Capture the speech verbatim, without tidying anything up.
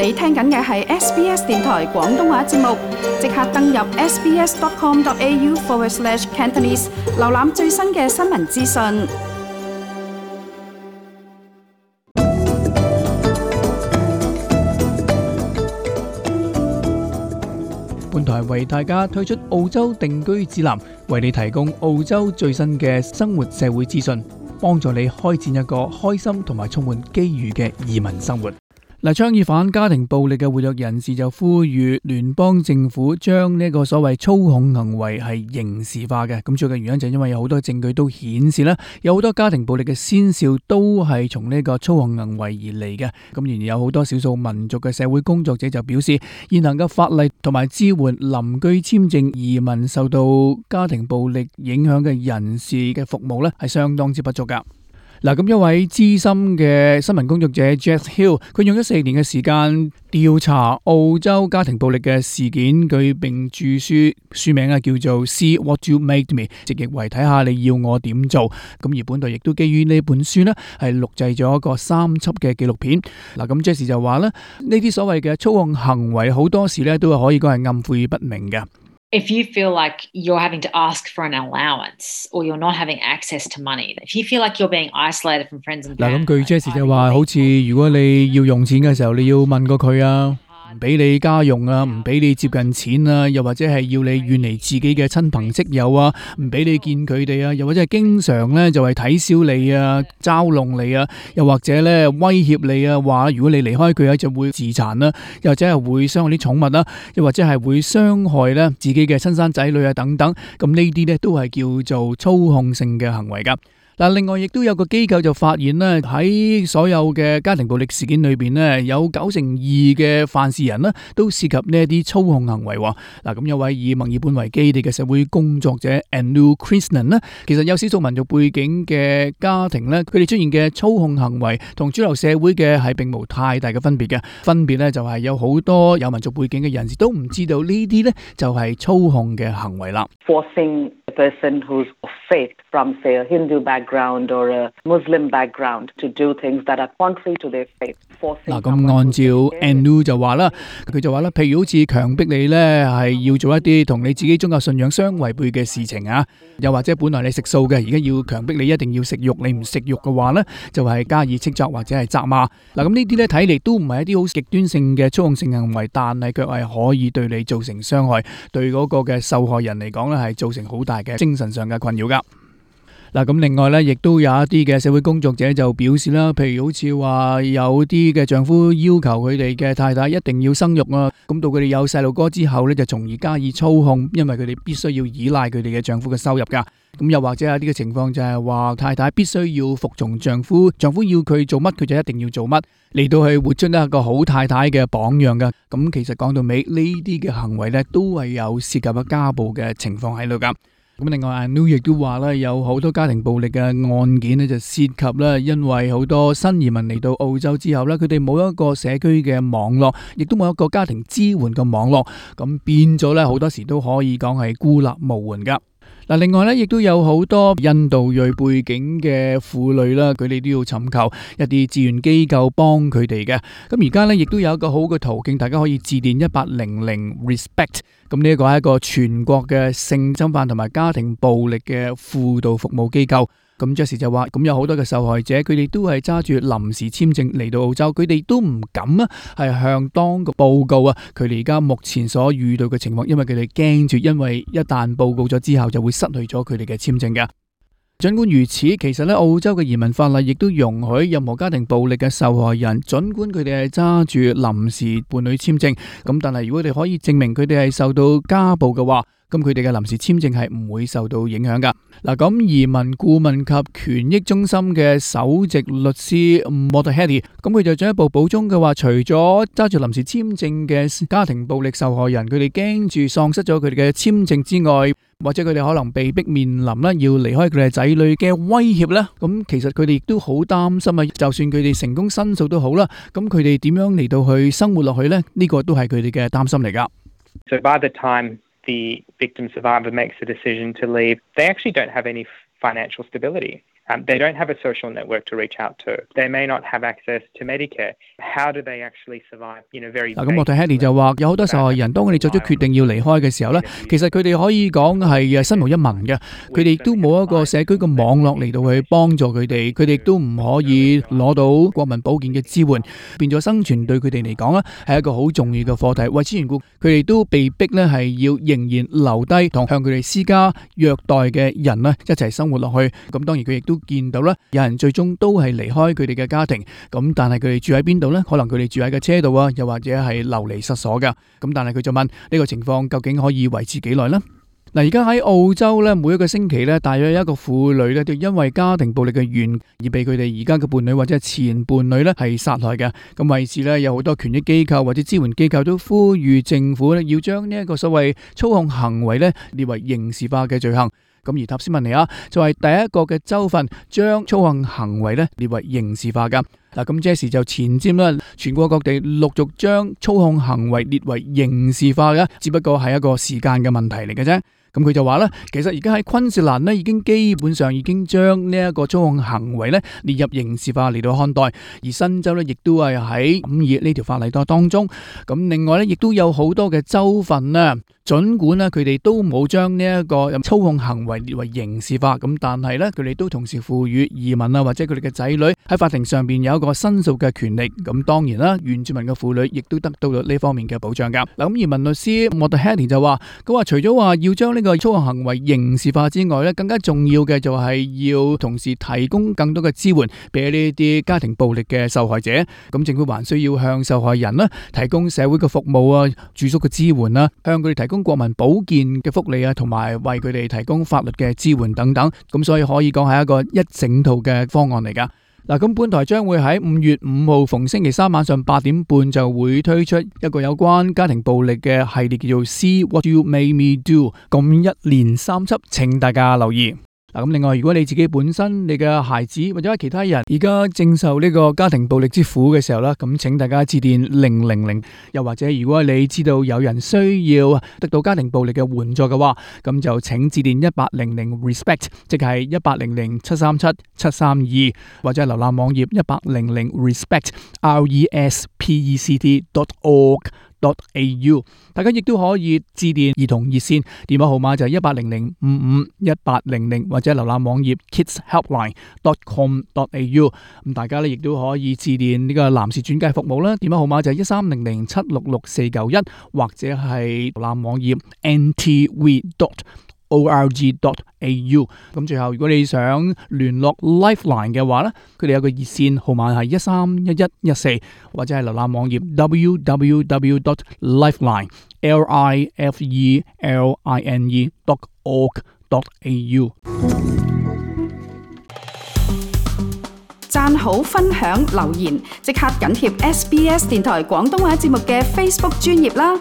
你聽緊嘅係 S B S 電台廣東話節目，即刻登入 sbs.com.au forward slash Cantonese， 瀏覽最新嘅新聞資訊。本台為大家推出澳洲定居指南，為你提供澳洲最新嘅生活社會資訊，幫助你開展一個開心同埋充滿機遇嘅移民生活。嗱，倡議反家庭暴力嘅活躍人士就呼籲聯邦政府將呢個所謂操控行為係刑事化嘅。咁主要嘅原因就係因為有好多證據都顯示咧，有好多家庭暴力嘅先兆都係從呢個操控行為而嚟嘅。咁然而有好多少數民族嘅社會工作者就表示，現行嘅法例同埋支援臨居簽證移民受到家庭暴力影響嘅人士嘅服務咧，係相當之不足噶。嗱，咁一位資深嘅新聞工作者 Jess Hill， 佢用咗四年嘅時間調查澳洲家庭暴力嘅事件，佢並著書，書名啊叫做 See What You Made Me， 直譯為睇下你要我點做。咁而本台亦都基於呢本書呢，係錄製咗一個三輯嘅紀錄片。嗱，咁 Jess 就話咧，呢啲所謂嘅操控行為好多時咧都係可以講係暗晦不明嘅。If you feel like you're having to ask for an allowance or you're not having access to money, if you feel like you're being isolated from friends and family， 嗱，咁據 Jess 就話，好似如果你要用錢嘅時候，你要問過佢啊，唔俾你家用啊，唔俾你接近錢啊，又或者係要你遠離自己嘅親朋戚友啊，唔俾你見佢哋啊，又或者係經常咧就係睇小你啊，嘲弄你啊，又或者咧威脅你啊，話如果你離開佢啊就會自殘啦，又或者係會傷害啲寵物啦，又或者係會傷害咧自己嘅親生仔女啊等等，咁呢啲咧都係叫做操控性嘅行為噶。嗱，另外亦都有個機構就發現咧，喺所有嘅家庭暴力事件裏邊咧，有九成二嘅犯事人咧都涉及呢一啲操控行為。嗱，咁有位以墨爾本為基地嘅社會工作者 Anu Krishnan 咧，其實有少數民族背景嘅家庭咧，佢哋出現嘅操控行為同主流社會嘅係並無太大嘅分別嘅。分別咧就係有好多有民族背景嘅人士都唔知道呢啲咧就係操控嘅行為啦。Forcing a person who's of faith from say a Hindu background or a Muslim background to do things that are contrary to their faith。嗱，咁按照 Anu 就話啦，佢就話啦，譬如好似強迫你咧係要做一啲同你自己宗教信仰相違背嘅事情啊，又或者本來你食素嘅，而家要強迫你一定要食肉，你唔食肉嘅話咧，就係加以斥責或者係責罵。嗱，咁呢啲咧睇嚟都唔係一啲好極端性嘅操控性行為，但係卻係可以對你造成傷害，對嗰個嘅受害人嚟講咧係造成好大嘅精神上嘅困擾噶。嗱，咁另外咧，亦都有一啲嘅社會工作者就表示啦，譬如好似話有啲嘅丈夫要求佢哋嘅太太一定要生育啊，咁到佢哋有細路哥之後咧，就從而加以操控，因為佢哋必須要依賴佢哋嘅丈夫嘅收入噶。咁又或者有啲嘅情況就係話太太必須要服從丈夫，丈夫要佢做乜佢就一定要做乜，嚟到去活出一個好太太嘅榜樣噶。咁其實講到尾呢啲嘅行為咧，都係有涉及嘅家暴嘅情況喺度噶。咁另外 Anu 亦都話咧，有好多家庭暴力嘅案件咧，就涉及咧，因為好多新移民嚟到澳洲之後咧，佢哋冇一個社區嘅網絡，亦都冇一個家庭支援嘅網絡，咁變咗咧，好多時都可以講係孤立無援噶。嗱，另外咧，亦都有好多印度裔背景嘅婦女啦，佢哋都要尋求一啲志願機構幫佢哋嘅。咁而家咧，亦都有一個好嘅途徑，大家可以致電一八零零 respect。咁呢一個係一個全國嘅性侵犯同埋家庭暴力嘅輔導服務機構。咁 Jess 就話，咁有好多嘅受害者，佢哋都係揸住臨時簽證嚟到澳洲，佢哋都唔敢啊，係向當局報告啊，佢哋而家目前所遇到嘅情況，因為佢哋驚住，因為一旦報告咗之後，就會失去咗佢哋嘅簽證嘅。儘管如此，其實咧澳洲嘅移民法例亦都容許任何家庭暴力嘅受害人，儘管佢哋係揸住臨時伴侶簽證，咁但係如果佢哋可以證明佢哋係受到家暴嘅話，咁佢哋嘅臨時簽證係唔會受到影響噶。嗱，咁移民顧問及權益中心嘅首席律師 Mottahedi， 咁佢就進一步補充嘅話，除咗揸住臨時簽證嘅家庭暴力受害人，佢哋驚住喪失咗佢哋嘅簽證之外，或者佢哋可能被逼面臨啦要離開佢哋仔女嘅威脅啦，咁其實佢哋亦都好擔心啊。就算佢哋成功申訴都好啦，咁佢哋點樣嚟到去生活落去呢？呢個都係佢哋嘅擔心嚟噶。So by the time the victim survivor makes a decision to leave, they actually don't have any financial stability. Um, they don't have a social network to reach out to. They may not have access to Medicare. How do they actually survive? You know, very 嗱，咁我睇 Hedy 就話，有好多受害人當佢哋作出決定要離開嘅時候咧，其實佢哋可以講係身無一文嘅，佢哋都冇一個社區嘅網絡嚟到去幫助佢哋，佢哋都唔可以攞到國民保健嘅支援，變咗生存對佢哋嚟講咧係一個好重要嘅課題。為此緣故，佢哋都被逼咧係要仍然留低同向佢哋施加虐待嘅人咧一齊生活落去。咁當然佢亦都見到啦，有人最終都係離開佢哋嘅家庭，咁但係佢哋住喺邊度呢？可能佢哋住喺個車度啊，又或者係流離失所噶。咁但係佢就問呢個情況究竟可以維持幾耐呢？嗱，而家喺澳洲咧，每一個星期咧，大約有一個婦女咧，就因為家庭暴力嘅緣而被佢哋而家嘅伴侶或者係前伴侶咧係殺害嘅。咁為此咧，有好多權益機構或者支援機構都呼籲政府咧要將呢一個所謂操控行為咧列為刑事化嘅罪行。咁而塔斯曼尼亞就係第一個嘅州份將操控行為咧列為刑事化噶。嗱，咁這時就前瞻啦，全國各地陸續將操控行為列為刑事化嘅，只不過係一個時間嘅問題嚟嘅啫。咁佢就話咧，其實而家喺昆士蘭咧，已經基本上已經將呢一個操控行為咧列入刑事化嚟到看待，而新州咧亦都係喺五二呢條法例當中。咁另外咧，亦都有好多嘅州份啊，儘管咧佢哋都冇將呢一個操控行為列為刑事化，咁但係咧佢哋都同時賦予移民啊或者佢哋嘅仔女喺法庭上邊有一個申訴嘅權力。咁當然啦，原住民嘅婦女亦都得到咗呢方面嘅保障噶。嗱，咁移民律師莫特 Hedy 就話，佢話除咗話要將呢個操控行為刑事化之外咧，更加重要嘅就係要同時提供更多嘅支援俾呢啲家庭暴力嘅受害者。咁政府還需要向受害人咧提供社會嘅服務啊、住宿嘅支援啦，向佢哋提供國民保健嘅福利啊，同埋為佢哋提供法律嘅支援等等。咁所以可以講係一個一整套嘅方案嚟噶。嗱，咁本台將會喺五月五號逢星期三晚上八點半就會推出一個有關家庭暴力嘅系列，叫做 See What You Made Me Do， 咁一連三輯，請大家留意。嗱，咁另外，如果你自己本身你嘅孩子或者其他人而家正受呢個家庭暴力之苦嘅時候啦，咁請大家致電零零零，又或者如果你知道有人需要得到家庭暴力嘅援助嘅話，咁就請致電一八零零 respect， 即係一八零零七三七七三二，或者係瀏覽網頁一八零零 respect r e s p e c t dot org dot a u。 大家亦都可以致電兒童熱線，電話號碼就係一八零零五五一八零零，或者瀏覽網頁 kids helpline dot com dot a u。 咁大家咧亦都可以致電呢個男士轉介服務啦，電話號碼就係一三零零七六六四九一，或者係瀏覽網頁 n t v dot org dot a u。 咁最後，如果你想聯絡 Lifeline 嘅話咧，佢哋有個熱線號碼係一三一一一四，或者係瀏覽網頁 w w w dot lifeline l i f e l i n e dot org dot a u。 讚好、分享、留言，即刻緊貼 S B S 電台廣東話節目嘅 Facebook 專頁啦！